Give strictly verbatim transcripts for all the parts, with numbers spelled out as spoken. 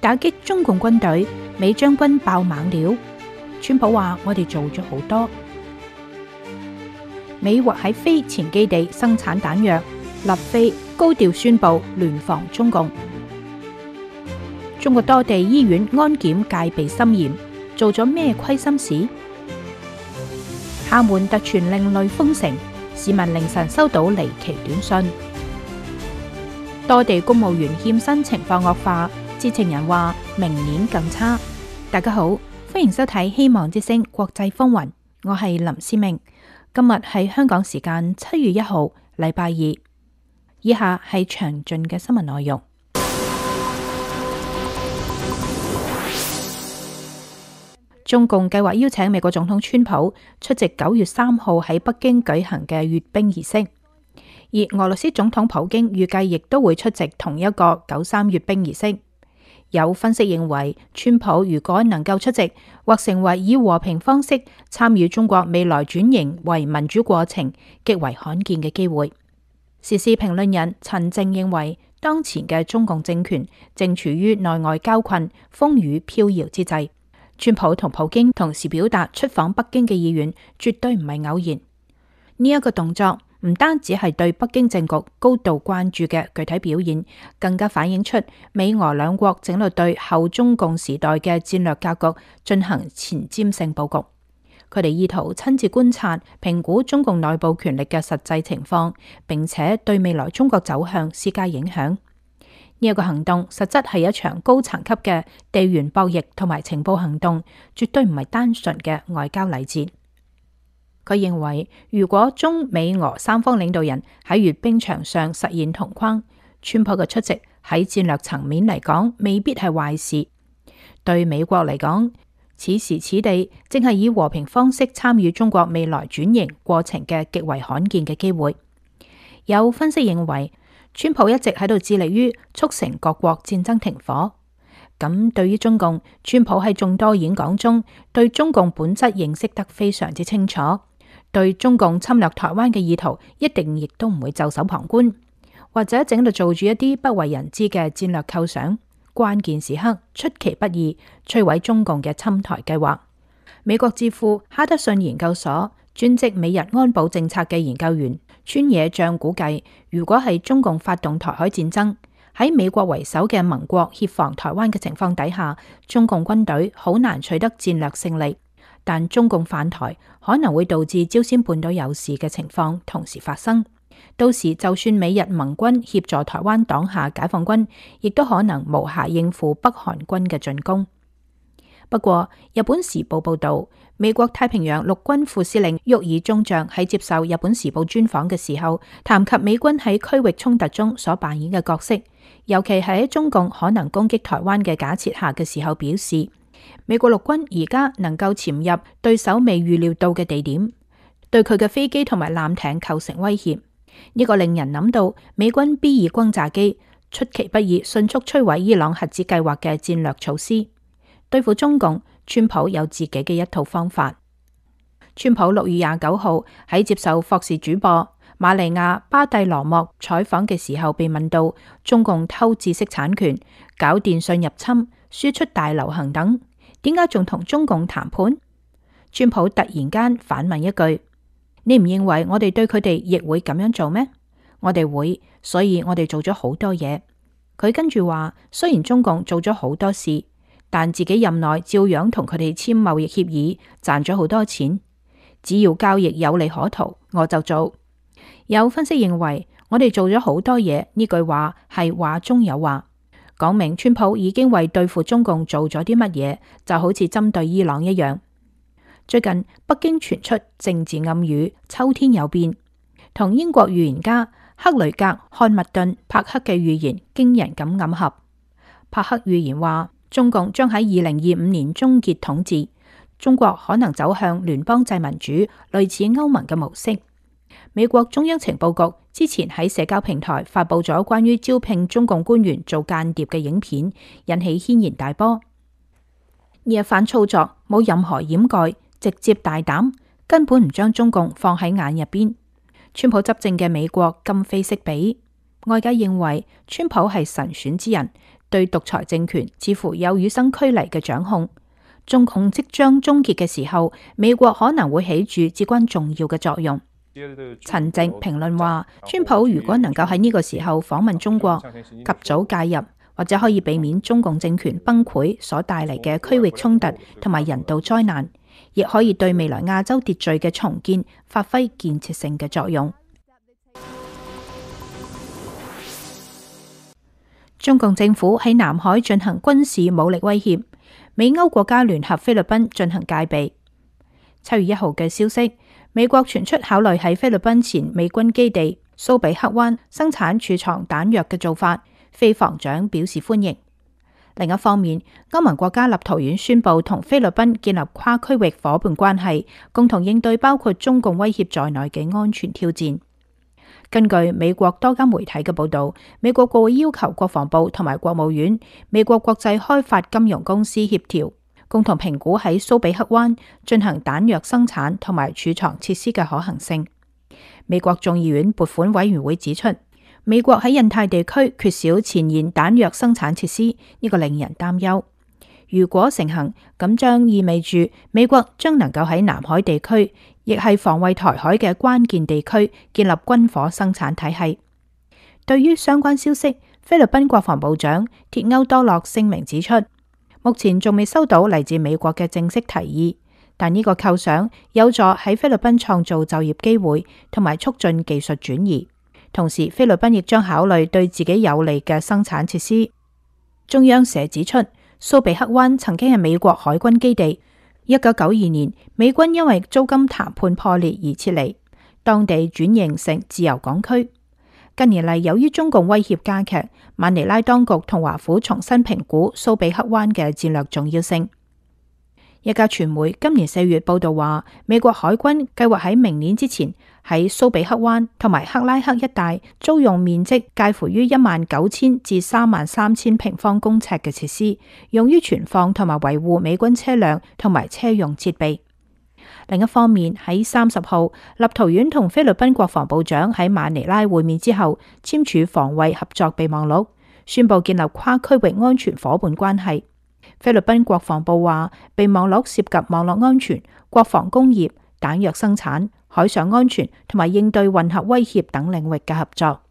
打擊中共軍隊，美將軍爆猛料。川普話：我哋做咗好多。美或喺非前基地生產彈藥，立飛高調宣布聯防中共。中國多地醫院安檢戒備森嚴，做咗咩虧心事？廈門突傳另類封城，市民凌晨收到離奇短信。多地公務員欠薪情況惡化，知情人話明年更差。大家好，歡迎收睇《希望之聲》國際風雲，我係林思明。今日係香港時間七月一號，禮拜二。以下係詳盡嘅新聞內容。中共計劃邀請美國總統川普出席九月三號喺北京舉行嘅閱兵儀式，而俄羅斯總統普京預計亦都會出席同一個九三閱兵儀式。有分析認為，川普如果能夠出席，或成為以和平方式參與中國未來轉型為民主過程，極為罕見嘅機會。時事評論人陳靜認為，當前嘅中共政權正處於內外交困、風雨飄搖之際。川普同普京同時表達出訪北京嘅意願，絕對唔係偶然。呢、這、一個動作唔單止係對北京政局高度關注嘅具體表現，更加反映出美俄兩國正喺度對後中共時代嘅戰略格局進行前瞻性佈局。佢哋意圖親自觀察、評估中共內部權力嘅實際情況，並且對未來中國走向施加影響。呢一個行動實質係一場高層級嘅地緣博弈同埋情報行動，絕對唔係單純嘅外交禮節。佢認為，如果中美俄三方領導人喺閱兵場上實現同框，川普嘅出席喺戰略層面嚟講未必係壞事。對美國嚟講，此時此地正係以和平方式參與中國未來轉型過程嘅極為罕見嘅機會。有分析認為，川普一直喺度致力於促成各國戰爭停火。咁對於中共，川普喺眾多演講中對中共本質認識得非常之清楚，對中共侵略台灣嘅意圖一定亦都唔會袖手旁觀，或者正喺度做住一啲不為人知嘅戰略構想，關鍵時刻出其不意摧毀中共嘅侵台計劃。美國智庫哈德遜研究所專職美日安保政策嘅研究員川野將估計，如果係中共發動台海戰爭，喺美國為首嘅盟國協防台灣嘅情況底下，中共軍隊好難取得戰略勝利。但中共犯台可能會導致朝鮮半島有事嘅情況同時發生。到時就算美日盟軍協助台灣擋下解放軍，亦都可能無暇應付北韓軍嘅進攻。不過，日本時報報道，美國太平洋陸軍副司令沃爾中將喺接受日本時報專訪嘅時候，談及美軍喺區域衝突中所扮演嘅角色，尤其係喺中共可能攻擊台灣嘅假設下嘅時候，表示美國陸軍而家能夠潛入對手未預料到嘅地點，對佢嘅飛機同埋艦艇構成威脅。呢、這個令人諗到美軍 B 二轟炸機出其不意迅速摧毀伊朗核子計劃嘅戰略措施。對付中共，川普有自己嘅一套方法。川普六月廿九號喺接受霍士主播瑪利亞巴蒂羅莫採訪嘅時候，被問到中共偷知識產權、搞電信入侵、輸出大流行等，點解仲同中共談判？川普突然間反問一句：你唔認為我哋對佢哋亦會咁樣做咩？我哋會，所以我哋做咗好多嘢。佢跟住話：雖然中共做咗好多事，但自己任內照樣同佢哋簽貿易協議，賺咗好多錢。只要交易有利可圖，我就做。有分析認為，我哋做咗好多嘢，呢句話係話中有話，講明川普已經為對付中共做咗啲乜嘢，就好似針對伊朗一樣。最近北京傳出政治暗語，秋天有變，同英國預言家克雷格漢密頓帕克嘅預言驚人咁暗合。帕克預言話，中共將喺二零二五年終結統治，中國可能走向聯邦制民主，類似歐盟嘅模式。美國中央情報局之前喺社交平台發佈咗關於招聘中共官員做間諜嘅影片，引起軒然大波。呢一番操作冇任何掩蓋，直接大膽，根本唔將中共放喺眼入邊。川普執政嘅美國今非昔比，外界認為川普係神選之人。對獨裁政權似乎有與生俱嚟嘅掌控。中共即將終結嘅時候，美國可能會起住至關重要嘅作用。陳靜評論話，川普如果能夠喺呢個時候訪問中國，及早介入，或者可以避免中共政權崩潰所帶嚟嘅區域衝突同埋人道災難，亦可以對未來亞洲秩序嘅重建發揮建設性嘅作用。中共政府喺南海進行軍事武力威脅，美歐國家聯合菲律賓進行戒備。七月一號嘅消息，美國傳出考慮喺菲律賓前美軍基地蘇比克灣生產儲藏彈藥嘅做法，菲防長表示歡迎。另一方面，歐盟國家立陶宛宣布同菲律賓建立跨區域夥伴關係，共同應對包括中共威脅在內嘅安全挑戰。根據美國多家媒體嘅報道，美國國會要求國防部同埋國務院、美國國際開發金融公司協調，共同評估喺蘇比克灣進行彈藥生產同埋儲藏設施嘅可行性。美國眾議院撥款委員會指出，美國喺印太地區缺少前沿彈藥生產設施，呢個令人擔憂。如果成行，咁將意味住美國將能夠喺南海地區，亦係防衛台海嘅關鍵地區，建立軍火生產體系。對於相關消息，菲律賓國防部長鐵歐多洛聲明指出，目前仲未收到嚟自美國嘅正式提議，但呢個構想有助喺菲律賓創造就業機會，同埋促進技術轉移。同時，菲律賓亦將考慮對自己有利嘅生產設施。中央社指出，蘇比克灣曾經係美國海軍基地。一九九二年，美軍因為租金談判破裂而撤離，當地轉型成自由港區。近年嚟，由於中共威脅加劇，馬尼拉當局同華府重新評估蘇比克灣嘅戰略重要性。一家傳媒今年四月報道話，美國海軍計劃喺明年之前喺蘇比克灣同埋克拉克一帶租用面積介乎於一萬九千至三萬三千平方公尺嘅設施，用於存放同埋維護美軍車輛同埋車用設備。另一方面，喺三十號，立陶宛同菲律賓國防部長喺馬尼拉會面之後，簽署防衛合作備忘錄，宣布建立跨區域安全夥伴關係。菲律賓國防部話，備忘錄涉及網絡安全、國防工業、彈藥生產、海上安全同埋應對混合威脅等領域嘅合作。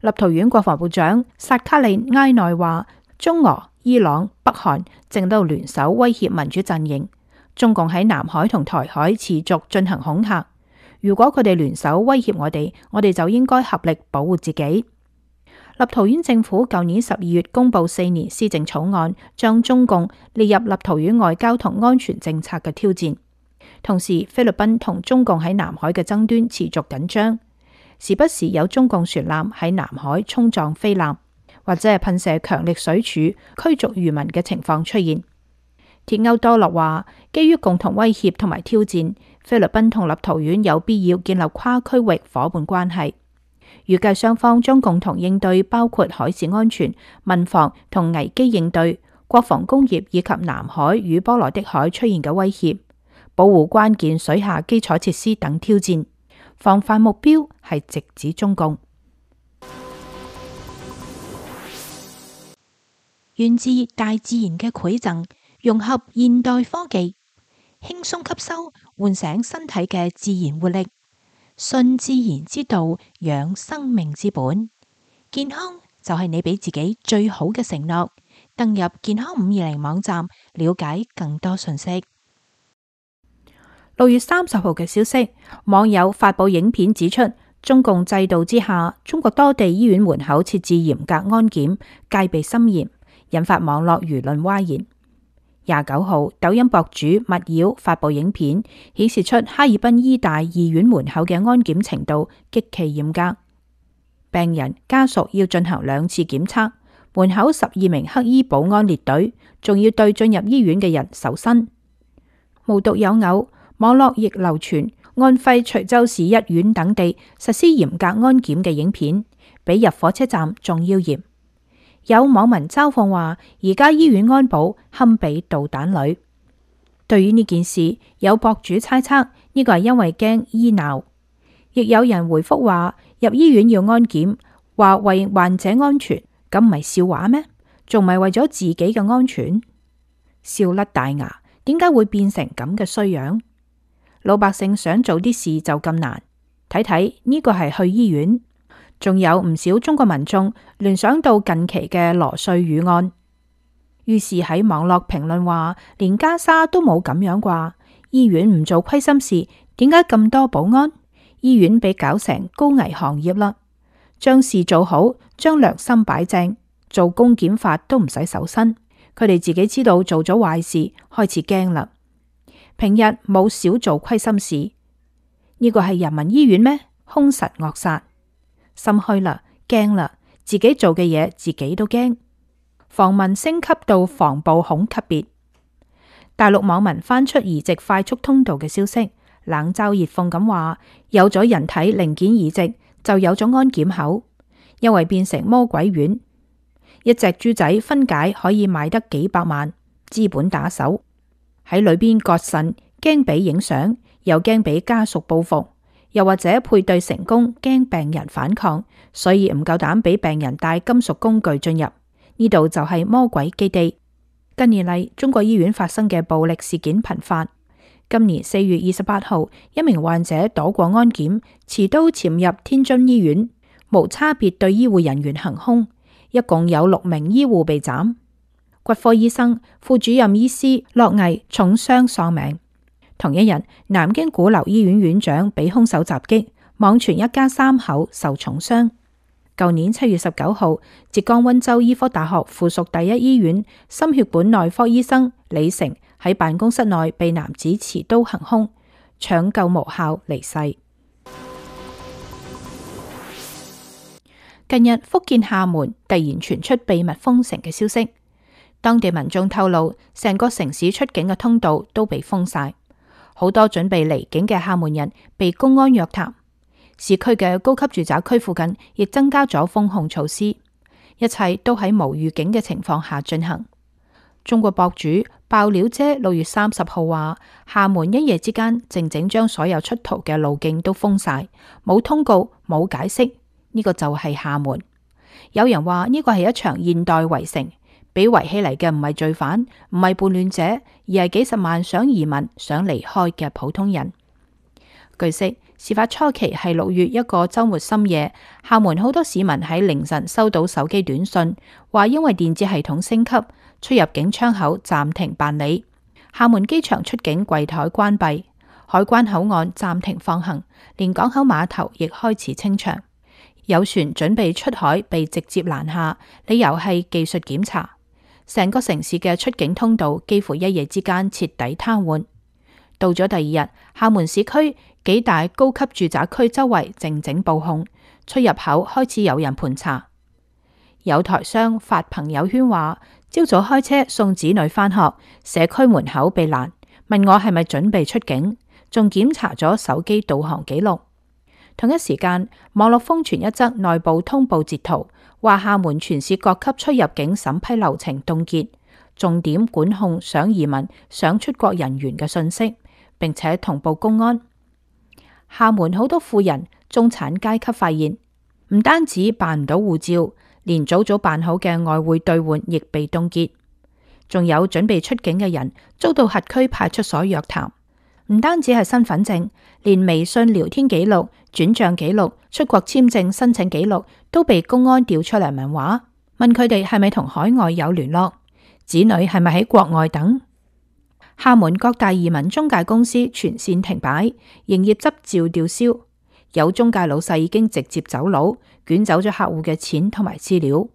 立陶宛國防部長薩卡利埃內話，中俄、伊朗、北韓正都聯手威脅民主陣營，中共喺南海同台海持續進行恐嚇。如果佢哋聯手威脅我哋，我哋就應該合力保護自己。立陶宛政府舊年十二月公布四年施政草案，將中共列入立陶宛外交同安全政策嘅挑戰。同時，菲律賓同中共喺南海嘅爭端持續緊張，時不時有中共船艦喺南海衝撞菲艦，或者係噴射強力水柱驅逐漁民嘅情況出現。鐵歐多洛話，基於共同威脅同埋挑戰，菲律賓同立陶宛有必要建立跨區域夥伴關係。預計雙方將共同應對包括海事安全、民防同危機應對、國防工業以及南海與波羅的海出現嘅威脅、保護關鍵水下基礎設施等挑戰。防範目標係直指中共。源自大自然嘅饋贈，融合現代科技，輕鬆吸收，喚醒身體嘅自然活力。順自然之道，養生命之本。健康就係你俾自己最好嘅承諾。登入健康五二零網站，了解更多信息。六月三十號嘅消息，網友發佈影片指出，中共制度之下，中國多地醫院門口設置嚴格安檢，戒備森嚴，引發網絡輿論譁然。廿九號，抖音博主密妖發佈影片，顯示出哈爾濱醫大醫院門口嘅安檢程度極其嚴格，病人家屬要進行兩次檢測，門口十二名黑衣保安列隊，仲要對進入醫院嘅人搜身。無獨有偶，網絡亦流傳安徽隨州市一院等地實施嚴格安檢嘅影片，比入火車站仲要嚴。有網民嘲諷話，而家醫院安保堪比導彈旅。對於呢件事，有博主猜測呢個係因為驚醫鬧，亦有人回覆話入醫院要安檢，話為患者安全，咁唔係笑話咩？仲唔係為咗自己嘅安全？笑甩大牙，點解會變成咁嘅衰樣？老百姓想做啲事就咁難？睇睇呢個係去醫院。仲有唔少中國民眾聯想到近期嘅羅瑞宇案，於是喺網絡評論話，連加沙都冇咁樣啩？醫院唔做虧心事，點解咁多保安？醫院被搞成高危行業啦！將事做好，將良心擺正，做公檢法都唔使搜身。佢哋自己知道做咗壞事，開始驚啦。平日冇少做虧心事，呢個係人民醫院咩？兇神惡煞，心虛啦，驚啦，自己做嘅嘢自己都驚。防民升級到防暴恐級別。大陸網民翻出移植快速通道嘅消息，冷嘲熱諷咁話：有咗人體零件移植，就有咗安檢口，因為變成魔鬼丸。一隻豬仔分解可以賣得幾百萬，資本打手喺裏邊割腎，驚俾影相，又驚俾家屬報復，又或者配對成功，驚病人反抗，所以唔夠膽俾病人帶金屬工具進入。呢度就係魔鬼基地。近年嚟，中國醫院發生嘅暴力事件頻發。今年四月二十八號，一名患者躲過安檢，持刀潛入天津醫院，無差別對醫護人員行兇，一共有六名醫護被斬。骨科醫生、副主任醫師駱毅重傷喪命。同一日，南京鼓樓醫院院長被兇手襲擊，網傳一家三口受重傷。舊年七月十九號，浙江溫州醫科大學附屬第一醫院心血管內科醫生李成喺辦公室內被男子持刀行兇，搶救無效離世。近日，福建廈門突然傳出秘密封城嘅消息，當地民眾透露，成個城市出境嘅通道都被封晒，好多準備離境嘅廈門人被公安約談。市區嘅高級住宅區附近亦增加咗封控措施，一切都喺無預警嘅情況下進行。中國博主爆料姐六月三十號話，廈門一夜之間靜靜將所有出逃嘅路徑都封晒，冇通告，冇解釋，呢個就係廈門。有人話呢個係一場現代圍城，俾圍起嚟嘅唔係罪犯，唔係叛亂者，而係幾十萬想移民、想離開嘅普通人。據悉，事發初期係六月一個周末深夜，廈門好多市民喺凌晨收到手機短信，話因為電子系統升級，出入境窗口暫停辦理，廈門機場出境櫃台關閉，海關口岸暫停放行，連港口碼頭亦開始清場。有船準備出海被直接攔下，理由係技術檢查。成個城市嘅出境通道幾乎一夜之間徹底癱瘓。到咗第二日，廈門市區幾大高級住宅區周圍靜靜布控，出入口開始有人盤查。有台商發朋友圈話，朝早開車送子女返學，社區門口被攔，問我係咪準備出境，仲檢查咗手機導航記錄。同一時間，網絡瘋傳一則內部通報截圖，話廈門全市各級出入境審批流程凍結，重點管控想移民、想出國人員嘅信息，並且同步公安。廈門好多富人、中產階級發現，唔單止辦唔到護照，連早早辦好嘅外匯兌換亦被凍結。仲有準備出境嘅人遭到轄區派出所約談，唔單止係身份證，連微信聊天記錄、轉賬記錄、出國簽證申請記錄都被公安調出嚟問話，問佢哋係咪同海外有聯絡，子女係咪喺國外等。廈門各大移民中介公司全線停擺，營業執照吊銷，有中介老細已經直接走佬，捲走咗客戶嘅錢同埋資料。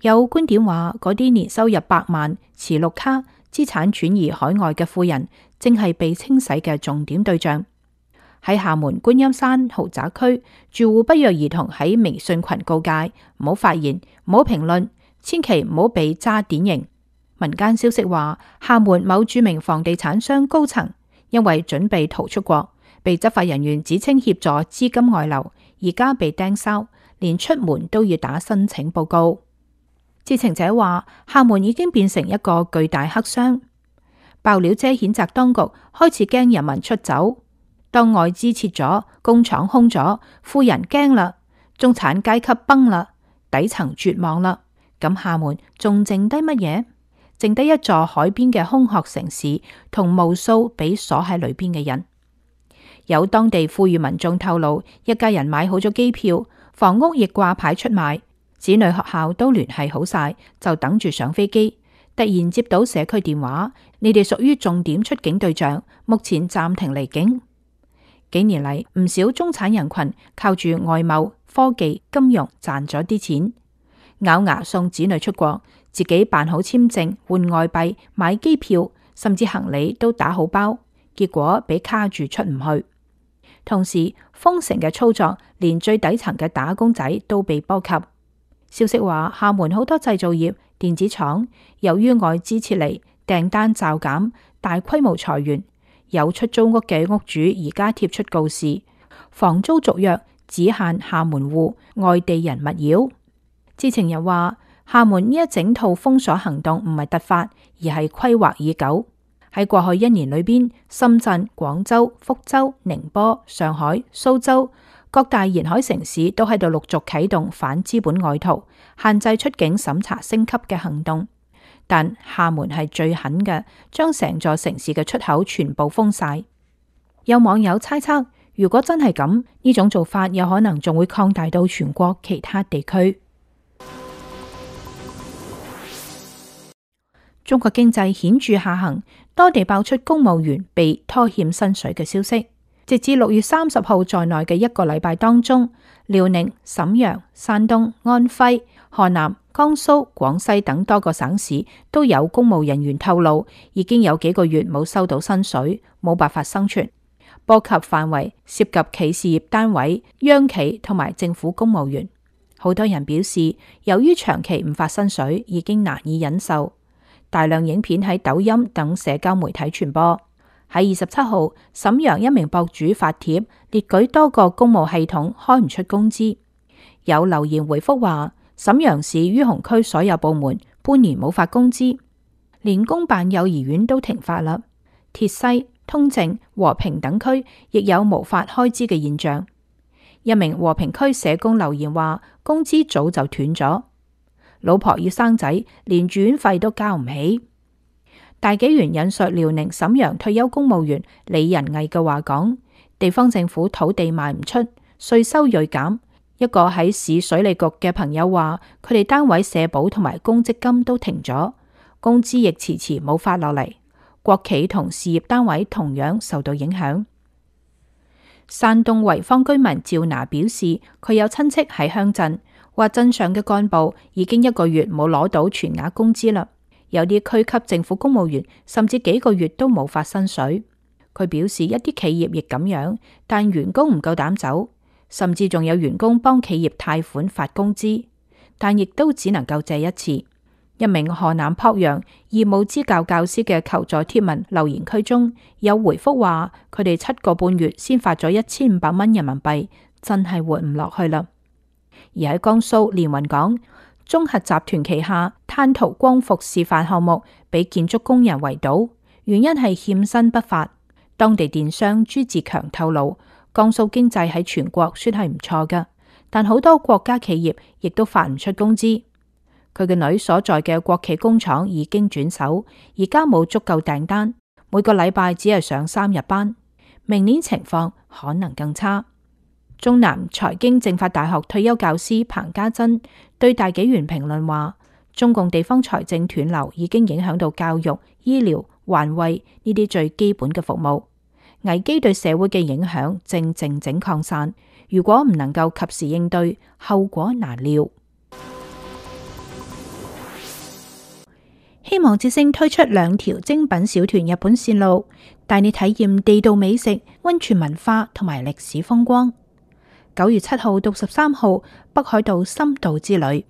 有觀點話，嗰啲年收入百萬、持綠卡、資產轉移海外嘅富人，正係被清洗嘅重點對象。喺廈門觀音山豪宅區，住戶不約而同喺微信群告誡：唔好發言，唔好評論，千祈唔好被揸典型。民間消息話，廈門某著名房地產商高層因為準備逃出國，被執法人員指稱協助資金外流，而家被盯梢，連出門都要打申請報告。知情者話，廈門已經變成一個巨大黑箱。爆料姐譴責當局開始驚人民出走，當外資撤咗，工廠空咗，富人驚啦，中產階級崩啦，底層絕望啦，咁廈門仲剩低乜嘢？剩低一座海邊嘅空殼城市，同無數被鎖喺裏邊嘅人。有當地富裕民眾透露，一家人買好咗機票，房屋亦掛牌出賣，子女學校都聯繫好晒，就等住上飛機。突然接到社區電話，你哋屬於重點出境對象，目前暫停離境。幾年嚟，唔少中產人群靠住外貿、科技、金融賺咗啲錢，咬牙送子女出國，自己辦好簽證、換外幣、買機票，甚至行李都打好包，結果被卡住出唔去。同時，封城嘅操作連最底層嘅打工仔都被波及。消息話，廈門好多製造業、電子廠由於外資撤離，訂單驟減，大規模裁員。有出租屋嘅屋主而家貼出告示，房租續約只限廈門戶，外地人勿擾。知情人話，廈門呢一整套封鎖行動唔係突發，而係規劃已久。喺過去一年裏邊，深圳、廣州、福州、寧波、上海、蘇州各大沿海城市都喺度陸續啟動反資本外逃、限制出境審查升級嘅行動。但廈門係最狠嘅，將成座城市嘅出口全部封晒。有網友猜測，如果真係咁，呢種做法有可能仲會擴大到全國其他地區。中國經濟顯著下行，多地爆出公務員被拖欠薪水嘅消息。直至六月三十號在內嘅一個禮拜當中，遼寧、瀋陽、山東、安徽、河南、江蘇、廣西等多個省市都有公務人員透露，已經有幾個月冇收到薪水，冇辦法生存。波及範圍涉及企事業單位、央企同埋政府公務員。好多人表示，由於長期唔發薪水，已經難以忍受。大量影片喺抖音等社交媒體傳播。喺二十七號，瀋陽一名博主發帖列舉多個公務系統開唔出工資，有留言回覆話，瀋陽市于洪區所有部門半年冇發工資，連公辦幼兒園都停發啦。鐵西、通政、和平等區亦有無法開支嘅現象。一名和平區社工留言話，工資早就斷咗，老婆要生仔，連住院費都交唔起。大紀元引述遼寧瀋陽退休公務員李仁毅嘅話講，地方政府土地賣唔出，稅收銳減。一個喺市水利局嘅朋友話，佢哋單位社保同埋公積金都停咗，工資亦遲遲冇發落嚟。國企同事業單位同樣受到影響。山東濰坊居民趙娜表示，佢有親戚喺鄉鎮，話鎮上嘅幹部已經一個月冇攞到全額工資啦。有啲區級政府公務員甚至幾個月都冇發薪水。佢表示一啲企業亦咁樣，但員工唔夠膽走，甚至仲有員工幫企業貸款發工資，但亦都只能夠借一次。一名河南濮陽義務支教教師嘅求助貼文留言區中有回覆話，佢哋七個半月先發咗一千五百蚊人民幣，真係活唔落去啦。而喺江蘇連雲港，中核集團旗下灘塗光伏示範項目被建築工人圍堵，原因係欠薪不發。當地電商朱志強透露，江蘇經濟喺全國算係唔錯㗎，但好多國家企業亦都發唔出工資。佢嘅女所在嘅國企工廠已經轉手，而家冇足夠訂單，每個禮拜只係上三日班，明年情況可能更差。中南財經政法大學退休教師彭家珍對大紀元評論話，中共地方財政斷流已經影響到教育、醫療、環衛呢啲最基本嘅服務，危機對社會嘅影響正靜靜擴散，如果唔能夠及時應對，後果難料。希望之星推出兩條精品小團日本線路，帶你體驗地道美食、溫泉文化同埋歷史風光。九月七號到十三號，北海道深度之旅。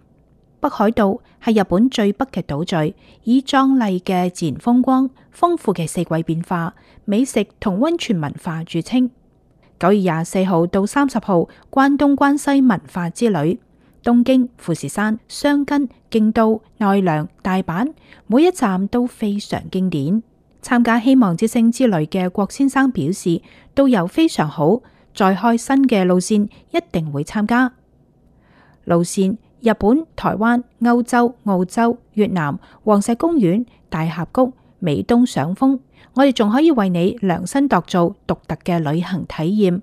北海道係日本最北嘅島嶼，以壯麗嘅自然風光、豐富嘅四季變化、美食同溫泉文化著稱。九月廿四號到三十號，關東關西文化之旅。東京、富士山、箱根、京都、奈良、大阪，每一站都非常經典。參加希望之星之旅嘅郭先生表示，導遊非常好，再開新嘅路線一定會參加。路線日本、台灣、歐洲、澳洲、越南、黃石公園、大峽谷、美東賞楓，我哋仲可以為你量身度做獨特嘅旅行體驗。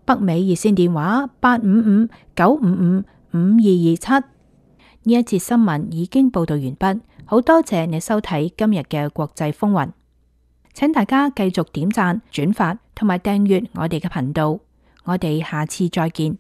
北美熱線電話八五五九五五五二二七。呢一節新聞已經報道完畢，好多謝你收睇今日嘅國際風雲，請大家繼續點讚、轉發同埋訂閱我哋嘅頻道，我哋下次再見。